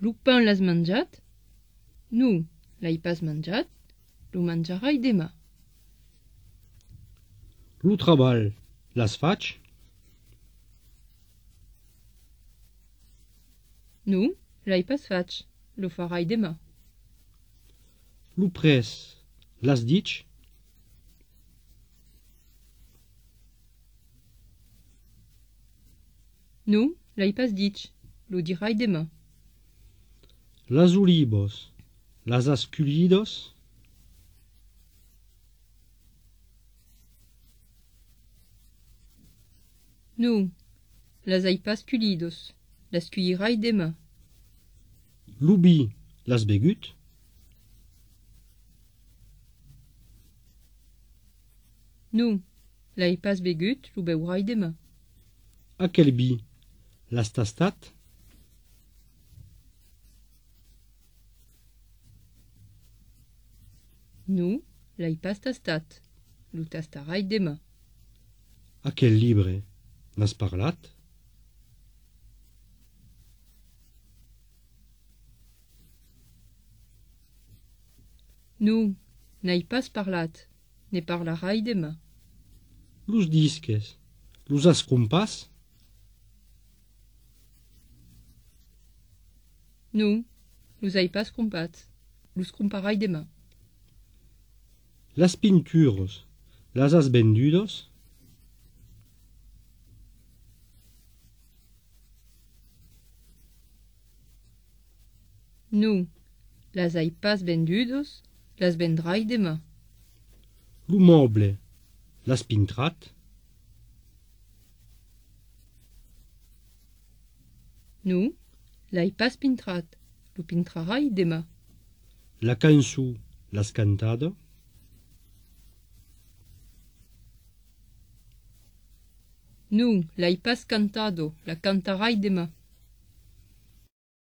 Lu pan l'has menjat? Nu, l'hai pas menjat, lo menjarai demà. Lu treball l'has faig? Nu, l'hai pas faig, lo farai demà. Lu pres l'has dit? Nu, l'hai pas dit, lo dirai demà. Las olivos las has collidos? Nu, las hai pas culidos, las cuirai demà. Lu vi l'has begut? Nu, l'hai pas begut, lo beurai demà. A quel vi l'has tastat? Nu, l'hai pas tastat, lo tastarai demà. A quel libre n'has parlat? Nu, n'hai pas parlat, ne parlarai demà. Los disques los has compas? Nu, los hai pas compats, los comparai demà. Las pinturos las has vendudos? Nu, las hai pas vendudos, las vendrai demà. Lu moble l'has pintrat? Nu, l'hai pas pintrat, lo pintrarai demà. La cançó l'has cantado? Nu, l'hai pas cantado, la cantarai demà.